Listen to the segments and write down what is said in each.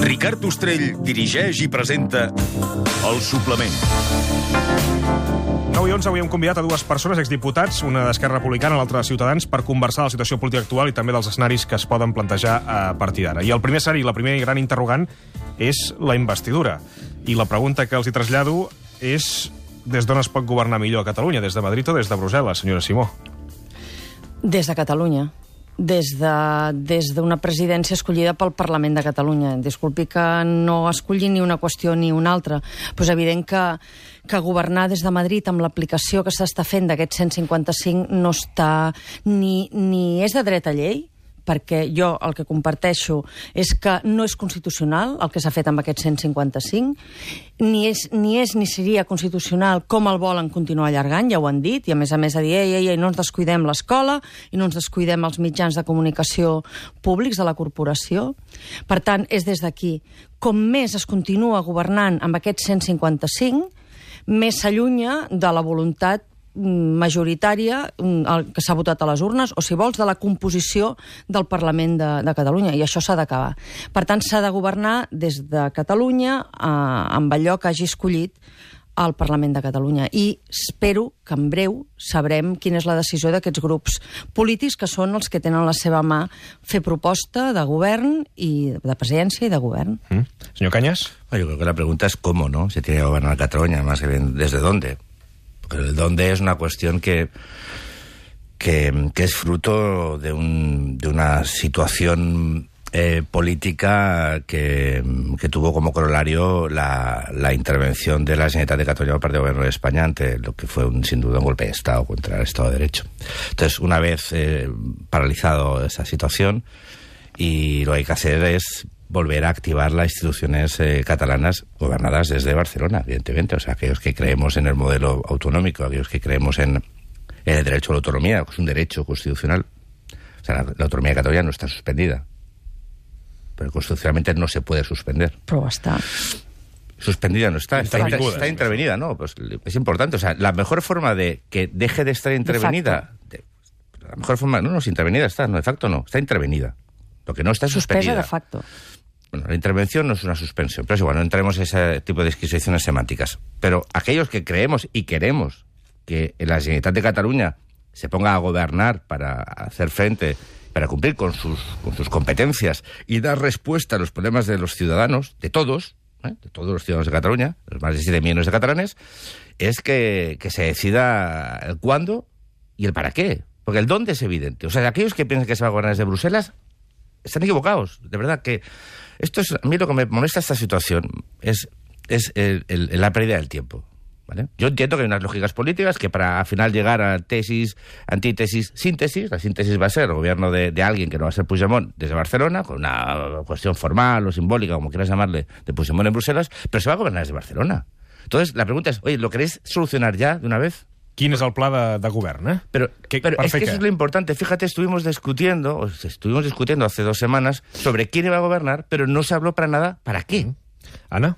Ricard Ostrell dirigeix i presenta El Suplement. 9 i 11, avui hem convidat a dues persones, exdiputats, una d'Esquerra Republicana, l'altra de Ciutadans, per conversar de la situació política actual i també dels escenaris que es poden plantejar a partir d'ara. I el primer escenari, la primera gran interrogant, és la investidura. I la pregunta que els hi trasllado és des d'on es pot governar millor a Catalunya, des de Madrid o des de Brussel·les, senyora Simó? Des de Catalunya. Des d'una presidència escollida pel Parlament de Catalunya. Disculpi que no escolli ni una qüestió ni una altra, però és evident que governar des de Madrid amb l'aplicació que s'està fent d'aquest 155 no està ni és de dret a llei, perquè jo el que comparteixo és que no és constitucional el que s'ha fet amb aquest 155, ni seria constitucional com el volen continuar allargant, ja ho han dit, i a més ha dit, ei, no ens descuidem l'escola i no ens descuidem els mitjans de comunicació públics de la corporació. Per tant, és des d'aquí. Com més es continua governant amb aquest 155, més s'allunya de la voluntat majoritària que s'ha votat a les urnes, o si vols, de la composició del Parlament de Catalunya, i això s'ha d'acabar. Per tant, s'ha de governar des de Catalunya amb allò que hagi escollit el Parlament de Catalunya. I espero que en breu sabrem quina és la decisió d'aquests grups polítics, que són els que tenen a la seva mà fer proposta de govern i de presidència i de govern. Senyor Cañas? Yo creo que la pregunta es cómo, ¿no? Se tiene que gobernar Cataluña, más que bien desde dónde. Porque el dónde es una cuestión que es fruto de una situación política que tuvo como corolario la intervención de la Generalitat de Cataluña por parte del Gobierno de España ante lo que fue sin duda un golpe de Estado contra el Estado de Derecho. Entonces, una vez paralizado esa situación, y lo que hay que hacer es volver a activar las instituciones catalanas gobernadas desde Barcelona, evidentemente. O sea, aquellos que creemos en el modelo autonómico, aquellos que creemos en el derecho a la autonomía, que es un derecho constitucional. O sea, la autonomía de Cataluña no está suspendida, pero constitucionalmente no se puede suspender. Pero está. Suspendida no está, está intervenida, ¿no? Pues es importante. O sea, la mejor forma de que deje de estar intervenida... La mejor forma... No, intervenida está, no, de facto no, está intervenida. Lo que no está es suspendida. Suspesa de facto. Bueno, la intervención no es una suspensión, pero es igual, no entremos en ese tipo de disquisiciones semánticas. Pero aquellos que creemos y queremos que la Generalitat de Cataluña se ponga a gobernar para hacer frente, para cumplir con sus competencias y dar respuesta a los problemas de los ciudadanos, de todos los ciudadanos de Cataluña, los más de 7 millones de catalanes, es que se decida el cuándo y el para qué. Porque el dónde es evidente. O sea, aquellos que piensan que se va a gobernar desde Bruselas están equivocados. De verdad que esto es... A mí lo que me molesta esta situación es la pérdida del tiempo, ¿vale? Yo entiendo que hay unas lógicas políticas que para al final llegar a tesis, antítesis, síntesis, la síntesis va a ser el gobierno de alguien que no va a ser Puigdemont desde Barcelona, con una cuestión formal o simbólica, como quieras llamarle, de Puigdemont en Bruselas, pero se va a gobernar desde Barcelona. Entonces, la pregunta es, oye, ¿lo queréis solucionar ya de una vez? Quin és el pla de govern, eh? Pero es que eso es lo importante. Fíjate, estuvimos discutiendo hace 2 semanas sobre quién iba a gobernar, pero no se habló para nada para qué. Anna?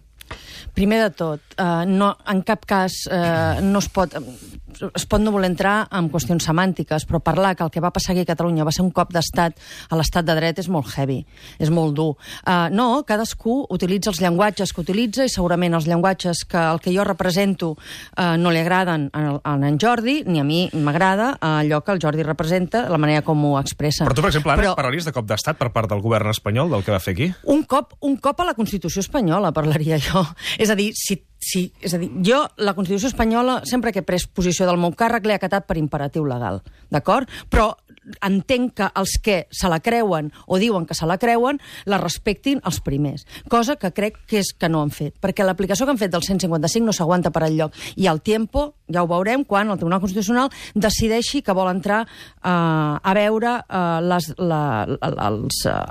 Primer de tot, en cap cas es pot no voler entrar en qüestions semàntiques, però parlar que el que va passar aquí a Catalunya va ser un cop d'estat a l'estat de dret és molt heavy, és molt dur. No, cadascú utilitza els llenguatges que utilitza i segurament els llenguatges que el que jo represento no li agraden a en Jordi, ni a mi m'agrada allò que el Jordi representa, la manera com ho expressa. Però tu, per exemple, Anna, parlaries de cop d'estat per part del govern espanyol, del que va fer aquí? Un cop a la Constitució espanyola, parlaria jo. És a dir, jo, la Constitució espanyola, sempre que he pres posició del meu càrrec, l'he acatat per imperatiu legal, d'acord? Però entenc que els que se la creuen o diuen que se la creuen la respectin els primers, cosa que crec que és que no han fet, perquè l'aplicació que han fet del 155 no s'aguanta per enlloc, i el tiempo ja ho veurem quan el Tribunal Constitucional decideixi que vol entrar a veure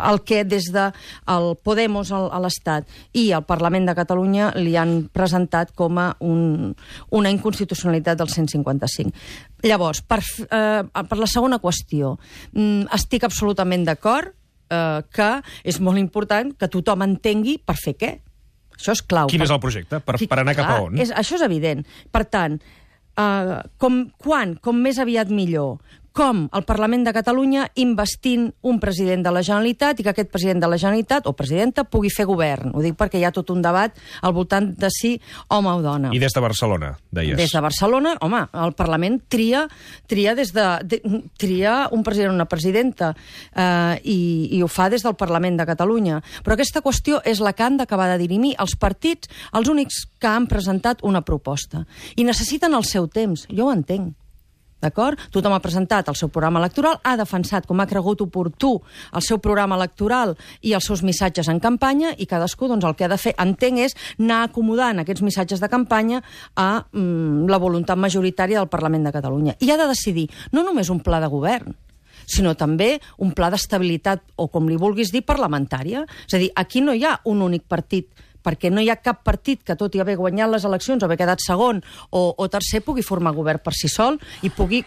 el que des del Podemos a l'Estat i el Parlament de Catalunya li han presentat com a una inconstitucionalitat del 155. Llavors, per la segona qüestió, estic absolutament d'acord que és molt important que tothom entengui per fer què. Això és clau. Quin és el projecte? Per anar cap a on? Això és evident. Per tant, com més aviat millor, com el Parlament de Catalunya investint un president de la Generalitat i que aquest president de la Generalitat o presidenta pugui fer govern. Ho dic perquè hi ha tot un debat al voltant de si home o dona. I des de Barcelona, deies. Des de Barcelona, home, el Parlament tria un president o una presidenta i ho fa des del Parlament de Catalunya. Però aquesta qüestió és la que han d'acabar de dirimir els partits, els únics que han presentat una proposta. I necessiten el seu temps. Jo ho entenc. D'acord? Tothom ha presentat el seu programa electoral, ha defensat com ha cregut oportú el seu programa electoral i els seus missatges en campanya i cadascú doncs, el que ha de fer, entenc, és anar acomodant aquests missatges de campanya a la voluntat majoritària del Parlament de Catalunya. I ha de decidir no només un pla de govern, sinó també un pla d'estabilitat, o com li vulguis dir, parlamentària. És a dir, aquí no hi ha un únic partit, perquè no hi ha cap partit que, tot i haver guanyat les eleccions o haver quedat segon o tercer, pugui formar govern per si sol i pugui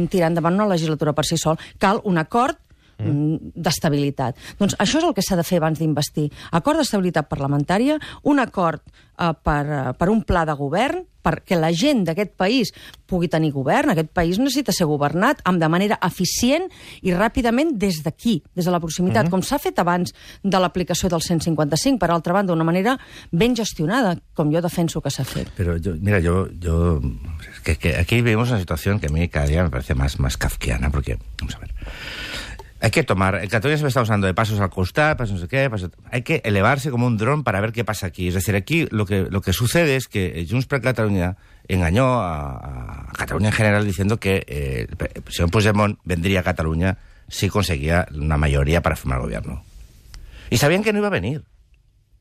tirar endavant una legislatura per si sol. Cal un acord d'estabilitat. Doncs això és el que s'ha de fer abans d'investir. Acord d'estabilitat parlamentària, un acord per un pla de govern, perquè la gent d'aquest país pugui tenir govern. Aquest país necessita ser governat de manera eficient i ràpidament des d'aquí, des de la proximitat, com s'ha fet abans de l'aplicació del 155, per altra banda, d'una manera ben gestionada, com jo defenso que s'ha fet. Pero que aquí vivimos una situación que a mí cada día me parece más kafkiana, porque, vamos a ver, hay que tomar, en Cataluña se me está usando de pasos al costar, pasos no sé qué, hay que elevarse como un dron para ver qué pasa aquí. Es decir, aquí lo que sucede es que Junts per Catalunya engañó a Cataluña en general diciendo que el señor Puigdemont vendría a Cataluña si conseguía una mayoría para formar gobierno. Y sabían que no iba a venir.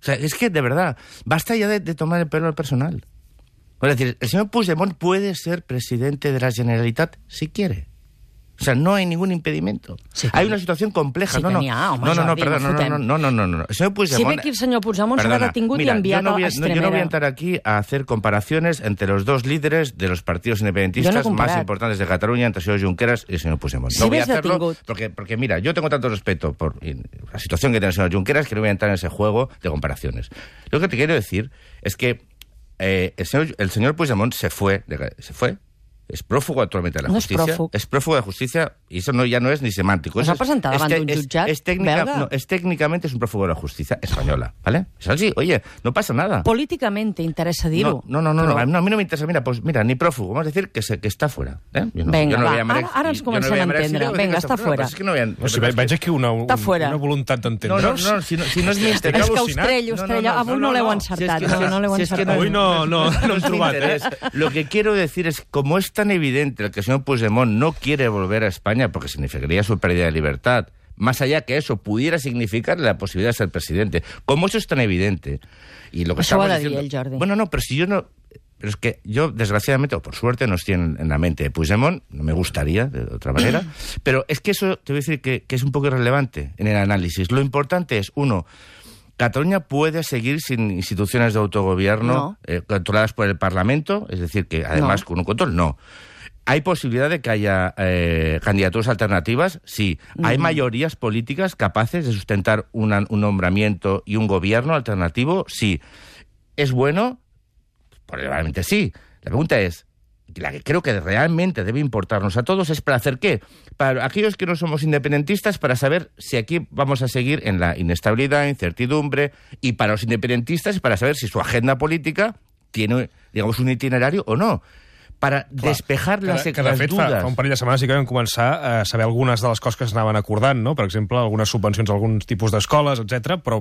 O sea, es que, de verdad, basta ya de tomar el pelo al personal. Es decir, el señor Puigdemont puede ser presidente de la Generalitat si quiere. O sea, no hay ningún impedimento. Sí, hay una situación compleja. Sí, no, no, no. El señor Puigdemont... Si ve que el senyor Puigdemont s'ha detingut i enviat a Extremera. Yo no voy a entrar aquí a hacer comparaciones entre los dos líderes de los partidos independentistas más importantes de Cataluña, entre el señor Junqueras y el señor Puigdemont. No voy a hacerlo porque, mira, yo tengo tanto respeto por la situación que tiene el señor Junqueras que no voy a entrar en ese juego de comparaciones. Lo que te quiero decir es que el señor Puigdemont se fue. Es prófugo actualmente de la justicia. Es prófugo de la justicia y eso ya no es ni semántico. ¿S'ha presentat davant d'un jutjat belga? Técnicamente es un prófugo de la justicia española, ¿vale? Es así, oye, no pasa nada. Políticamente interesa dir-ho. No, a mí no me interesa. Mira, ni prófugo, vamos a decir que está fuera. Vinga, ara ens comencem a entendre. Vinga, està fora. Veig aquí una voluntat d'entendre. No, si no és mi interès. És que Estrella, avui no l'heu encertat. Avui no hem trobat. Lo que quiero decir es, como es tan evidente que el señor Puigdemont no quiere volver a España porque significaría su pérdida de libertad, más allá que eso pudiera significar la posibilidad de ser presidente. Como eso es tan evidente, y lo que estamos diciendo... el Jordi. Bueno, no, pero si yo no... Pero es que yo, desgraciadamente, o por suerte, no estoy en la mente de Puigdemont, no me gustaría, de otra manera, pero es que eso, te voy a decir que es un poco irrelevante en el análisis. Lo importante es, uno, Cataluña puede seguir sin instituciones de autogobierno controladas por el Parlamento, es decir, que además con un control, no. ¿Hay posibilidad de que haya candidaturas alternativas? Sí. ¿Hay mayorías políticas capaces de sustentar un nombramiento y un gobierno alternativo? Sí. ¿Es bueno? Probablemente sí. La pregunta es, la que creo que realmente debe importarnos a todos, es para hacer ¿qué? Para aquellos que no somos independentistas, para saber si aquí vamos a seguir en la inestabilidad, incertidumbre, y para los independentistas, para saber si su agenda política tiene, digamos, un itinerario o no. Per despejar les dudes. De fet, fa un parell de setmanes sí que vam començar a saber algunes de les coses que s'anaven acordant, no? Per exemple, algunes subvencions a alguns tipus d'escoles, etc. però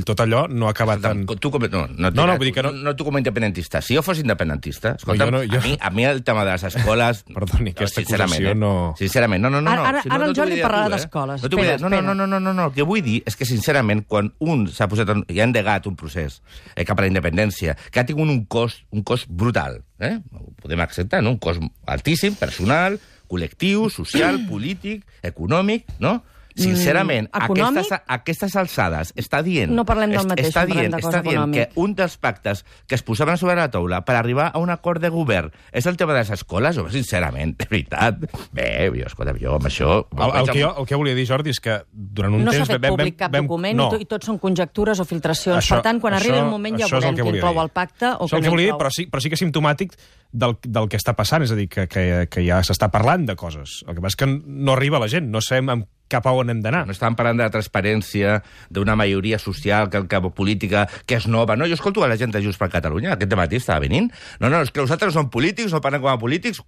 tot allò no ha acabat tan... Vull dir que no tu com a independentista. Si jo fos independentista, escolta'm, a mi el tema de les escoles... Perdoni, aquesta acusació no... Sincerament, no. Ara el Jordi parlarà d'escoles. No, el que vull dir és que, sincerament, quan un s'ha posat i ha endegat un procés cap a la independència, que ha tingut un cost brutal, ho podem acceptar, un cost altíssim, personal, col·lectiu, social, polític, econòmic, no? sincerament, econòmic... aquestes alçades està dient... No parlem del mateix, parlem de cosa econòmica. Que un dels pactes que es posaven sobre la taula per arribar a un acord de govern és el tema de les escoles, home, sincerament, de veritat. Bé, escolta, jo amb això... El que volia dir, Jordi, és que durant un temps... No s'ha fet públic cap document i tot són conjectures o filtracions. Per tant, quan arribi el moment ja veurem qui inclou el pacte o qui no inclou. Però sí que és simptomàtic del que està passant, és a dir, que ja s'està parlant de coses. El que passa és que no arriba a la gent, no sabem cap a on hem d'anar. No estàvem parlant de la transparència, d'una majoria social, política, que és nova. No, jo escolto a la gent de Junts per Catalunya, aquest dematí estava venint. No, és que nosaltres no som polítics, no parlem com a polítics.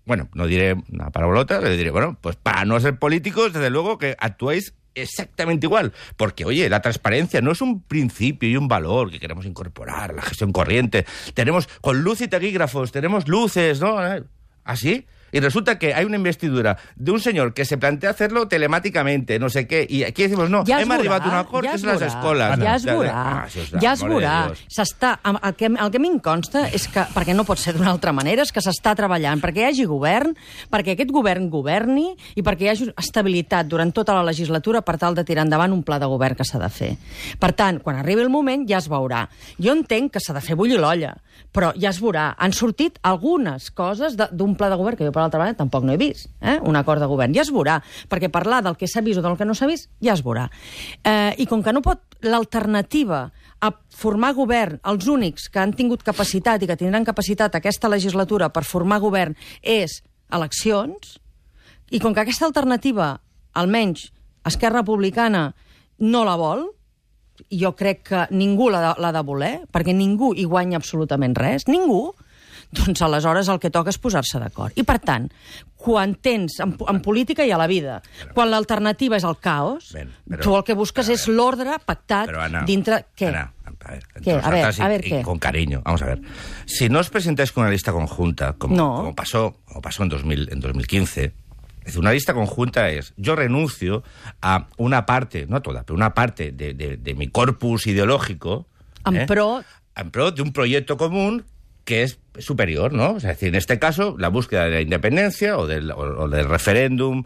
Bueno, no diré una paraulota, le diré, bueno, pues para no ser políticos, desde luego que actuéis exactamente igual. Porque, oye, la transparencia no es un principio y un valor que queremos incorporar a la gestión corriente. Tenemos, con luz y taquígrafos, tenemos luces, ¿no? ¿Así? Y resulta que hay una investidura de un señor que se plantea hacerlo telemáticamente, no sé què, i aquí decimos, no, hem arribat a un acord, que és les escoles. Ja es veurà. El que a mi em consta és que, perquè no pot ser d'una altra manera, és que s'està treballant perquè hi hagi govern, perquè aquest govern governi i perquè hi hagi estabilitat durant tota la legislatura per tal de tirar endavant un pla de govern que s'ha de fer. Per tant, quan arribi el moment ja es veurà. Jo entenc que s'ha de fer bullir l'olla, però ja es veurà. Han sortit algunes coses d'un pla de govern que jo per l'altra banda tampoc no he vist, un acord de govern. Ja es veurà, perquè parlar del que s'ha vist o del que no s'ha vist, ja es veurà. I com que no pot l'alternativa a formar govern, els únics que han tingut capacitat i que tindran capacitat aquesta legislatura per formar govern és eleccions, i com que aquesta alternativa, almenys Esquerra Republicana, no la vol, jo crec que ningú l'ha de voler, perquè ningú hi guanya absolutament res, ningú, doncs aleshores el que toca és posar-se d'acord. I per tant, quan tens, en política i a la vida, quan l'alternativa és el caos, tu el que busques és l'ordre pactat dintre... Què? A ver, ¿qué? Con cariño, vamos a ver. Si no os presentáis con una lista conjunta, como pasó en 2015, es decir, una lista conjunta es, yo renuncio a una parte, no toda, pero una parte de mi corpus ideológico en pro de un proyecto común que es superior, ¿no? O sea, es decir, en este caso, la búsqueda de la independencia o del referéndum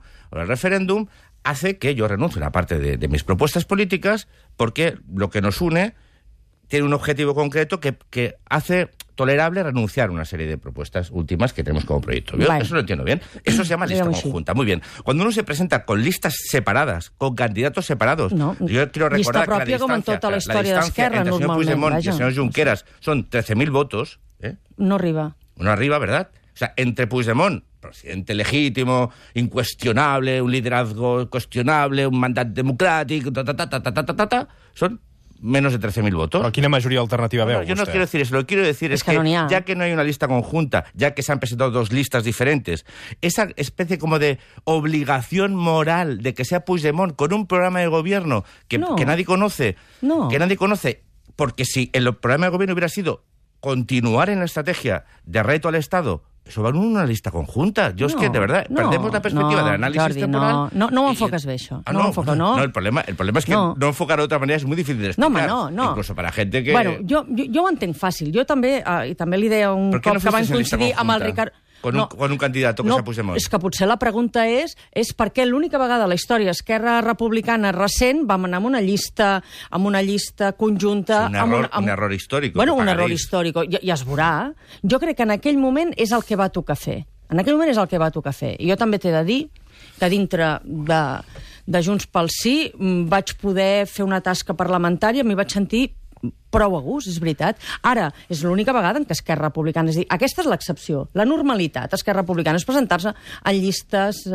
hace que yo renuncie a una parte de mis propuestas políticas porque lo que nos une tiene un objetivo concreto que hace tolerable renunciar a una serie de propuestas últimas que tenemos como proyecto. Yo eso lo entiendo bien. Eso se llama lista conjunta. Muy bien. Cuando uno se presenta con listas separadas, con candidatos separados, yo quiero recordar que la distancia entre el señor Puigdemont y el señor Junqueras son 13.000 votos. No arriba. No arriba, ¿verdad? O sea, entre Puigdemont, presidente legítimo, incuestionable, un liderazgo cuestionable, un mandat democràtic, son menos de 13.000 votos. Pero ¿quina mayoría alternativa veo? Yo no quiero decir eso. Lo que quiero decir es que ya que no hay una lista conjunta, ya que se han presentado dos listas diferentes, esa especie como de obligación moral de que sea Puigdemont con un programa de gobierno que nadie conoce, porque si el programa de gobierno hubiera sido continuar en la estrategia de reto al Estado, eso va en una lista conjunta. Yo es que, de verdad, perdemos la perspectiva del análisis Jordi, temporal. No ho enfoques bé, això. No, el problema es que no enfocar de otra manera es muy difícil de explicar. No. Incluso para gente que... Bueno, jo ho entenc fàcil. Jo també, i també li deia un cop que van coincidir amb el Ricard... Con un candidato que se Puigdemont. És que potser la pregunta és per què l'única vegada a la història Esquerra Republicana recent vam anar amb una llista conjunta... Un error històric. Bueno, un error històric. Ja es veurà. Jo crec que en aquell moment és el que va tocar fer. En aquell moment és el que va tocar fer. I jo també t'he de dir que dintre de Junts pel Sí vaig poder fer una tasca parlamentària, m'hi vaig sentir prou a gust, és veritat. Ara, és l'única vegada en què Esquerra Republicana... És a dir, aquesta és l'excepció. La normalitat, Esquerra Republicana, és presentar-se en llistes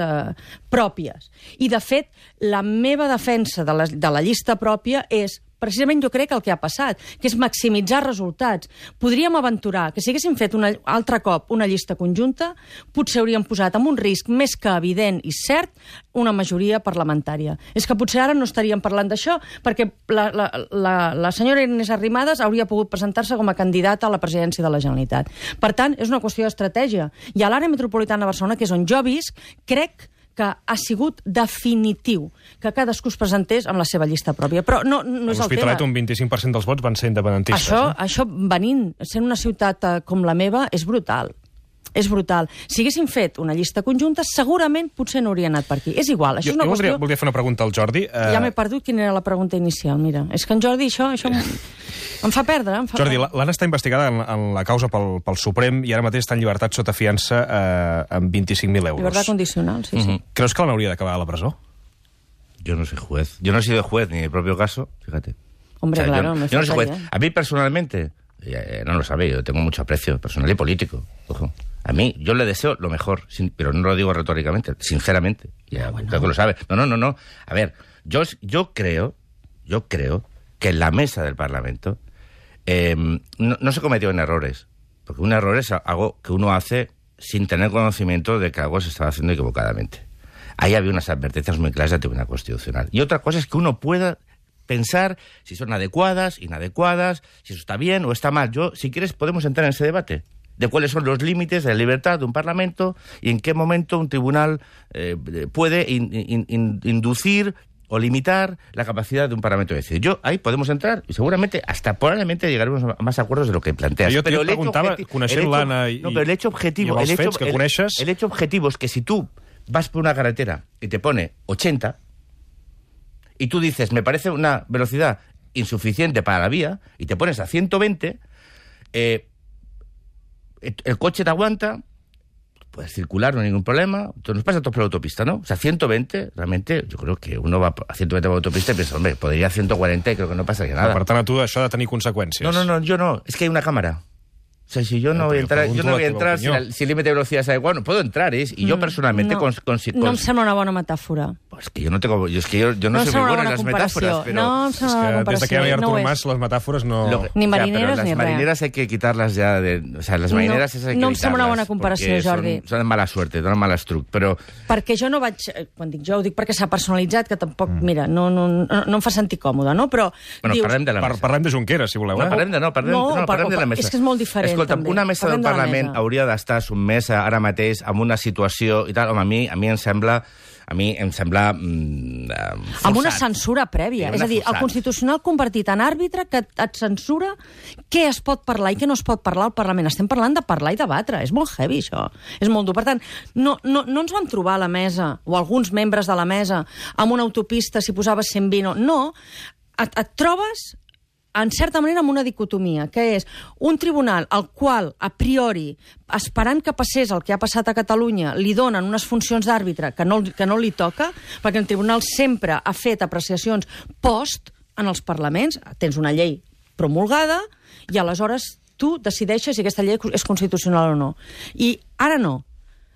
pròpies. I, de fet, la meva defensa de la llista pròpia és precisament jo crec el que ha passat, que és maximitzar resultats. Podríem aventurar que si haguéssim fet un altre cop una llista conjunta, potser hauríem posat en un risc més que evident i cert una majoria parlamentària. És que potser ara no estaríem parlant d'això, perquè la senyora Inés Arrimadas hauria pogut presentar-se com a candidata a la presidència de la Generalitat. Per tant, és una qüestió d'estratègia. I a l'àrea metropolitana de Barcelona, que és on jo visc, crec que ha sigut definitiu que cadascú es presentés amb la seva llista pròpia. Però no és el tema. A l'Hospitalet un 25% dels vots van ser independentistes. Això venint, sent una ciutat com la meva, és brutal. És brutal. Si haguessin fet una llista conjunta, segurament potser no hauria anat per aquí. És igual, això és una qüestió... voldria fer una pregunta al Jordi. Ja m'he perdut quina era la pregunta inicial, mira. És que en Jordi això em fa perdre. Jordi, l'Anna està investigada en la causa pel Suprem i ara mateix està en llibertat sota fiança amb 25.000 euros. Llibertat condicional, sí, sí. Creus que l'hauria d'acabar a la presó? Yo no soy juez. Yo no he sido juez ni en el propio caso, fíjate. Hombre, claro, yo no soy juez. A mí personalmente, no lo sabe, yo tengo mucho aprecio personal y político. Ojo. A mí, yo le deseo lo mejor, pero no lo digo retóricamente, sinceramente. Ya, bueno. Creo que lo sabe. No. A ver, yo creo que en la mesa del Parlamento no se cometieron errores. Porque un error es algo que uno hace sin tener conocimiento de que algo se estaba haciendo equivocadamente. Ahí había unas advertencias muy claras del Tribunal Constitucional. Y otra cosa es que uno pueda pensar si son adecuadas, inadecuadas, si eso está bien o está mal. Si quieres, podemos entrar en ese debate de cuáles son los límites de la libertad de un Parlamento y en qué momento un tribunal puede inducir o limitar la capacidad de un Parlamento de decidir. Ahí podemos entrar y seguramente, hasta probablemente llegaremos a más acuerdos de lo que planteas. Jo t'ho preguntava, coneixent l'Anna i el hecho objetivo, els fets que coneixes... El hecho objetivo es que si tú vas por una carretera y te pone 80 y tú dices, me parece una velocidad insuficiente para la vía, y te pones a 120, el coche te aguanta, puedes circular, no hay ningún problema, nos pasa a todos por la autopista, ¿no? O sea, 120, realmente, yo creo que uno va a 120 por la autopista y piensa, hombre, podría ir a 140 y creo que no pasaría nada. Per tant, a tu això ha de tenir conseqüències. No, yo no, es que hay una cámara. O sea, si yo no voy a entrar, si el límite de velocidad es adecuado, no puedo entrar, y yo personalmente... No em sembla una bona metàfora. Pues que yo no tengo... Yo no soy muy bueno en las metáforas, pero... No em sembla una bona comparació. Des que hi ha Artur Mas, les metàfores no... Ni marineres ni res. Las marineras hay que quitarlas ya de... O sea, las marineras esas hay que quitarlas. No em sembla una bona comparació, Jordi. Són de mala suerte, donen mal estruc, però... Perquè jo no vaig... Quan dic jo, ho dic perquè s'ha personalitzat, que tampoc, mira, no em fa sentir còmode, no? Però... Bueno, parlem de la mesa. Parlem de Junqueras, si voleu. Parlem de la mesa. És que és molt diferent, escolta, també. Una mesa del Parlament hauria d'estar sotmesa ara mateix amb una situació i tal. Home, a mi em sembla forçat. Amb una censura prèvia. És a dir, el Constitucional convertit en àrbitre que et censura què es pot parlar i què no es pot parlar al Parlament. Estem parlant de parlar i debatre. És molt heavy, això. És molt dur. Per tant, no ens vam trobar a la mesa, o alguns membres de la mesa, amb una autopista si posaves 120 o... No. Et trobes... en certa manera, amb una dicotomia, que és un tribunal al qual, a priori, esperant que passés el que ha passat a Catalunya, li donen unes funcions d'àrbitre que no li toca, perquè el tribunal sempre ha fet apreciacions post en els parlaments, tens una llei promulgada, i aleshores tu decideixes si aquesta llei és constitucional o no. I ara no.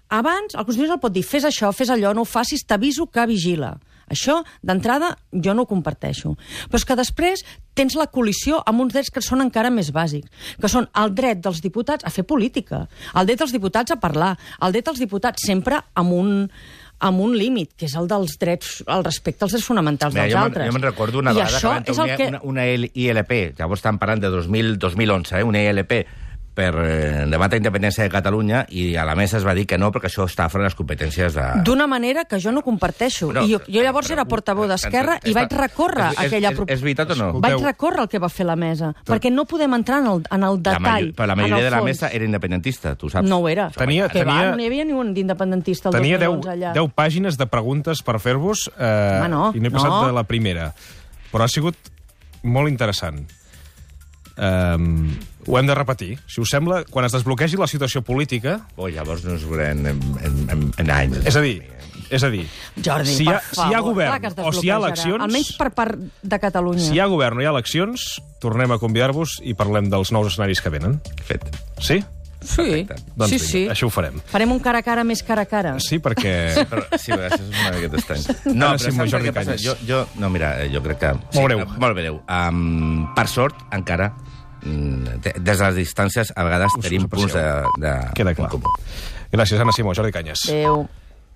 Abans, el Constitucional pot dir, fes això, fes allò, no ho facis, t'aviso que vigila. Això, d'entrada, jo no ho comparteixo. Però és que després tens la col·lisió amb uns drets que són encara més bàsics, que són el dret dels diputats a fer política, el dret dels diputats a parlar, el dret dels diputats sempre amb un límit, que és el dels drets, el respecte als drets fonamentals dels altres. Jo me'n recordo una vegada que van tenir una ILP, llavors estan parlant de 2011, una ILP, per debatre la independència de Catalunya, i a la mesa es va dir que no, perquè això està fora de les competències de... D'una manera que jo no comparteixo. I jo llavors era portaveu d'Esquerra i vaig recórrer aquella proposta. És veritat o no? Vaig recórrer el que va fer la mesa, perquè no podem entrar en el detall. Però la majoria de la mesa era independentista, tu saps. No ho era. No hi havia ni un d'independentista el 2011 allà. Tenia 10 pàgines de preguntes per fer-vos i no he passat de la primera. Però ha sigut molt interessant. Ho hem de repetir. Si us sembla, quan es desbloquegi la situació política... Llavors no ens veurem en anys. És a dir, Jordi, si hi ha govern o si hi ha eleccions... Almenys per part de Catalunya. Si hi ha govern o hi ha eleccions, tornem a convidar-vos i parlem dels nous escenaris que venen. Fet. Sí? Sí, doncs sí. Això ho farem. Farem un cara a cara més cara a cara. Sí, perquè... Sí, això és una miqueta estrany. No, però saps què passa? No, mira, jo crec que... Molt breu. Per sort, encara... des de les distàncies a vegades tenim punts de comú. Gràcies, Anna Simó, Jordi Cañas. Adéu.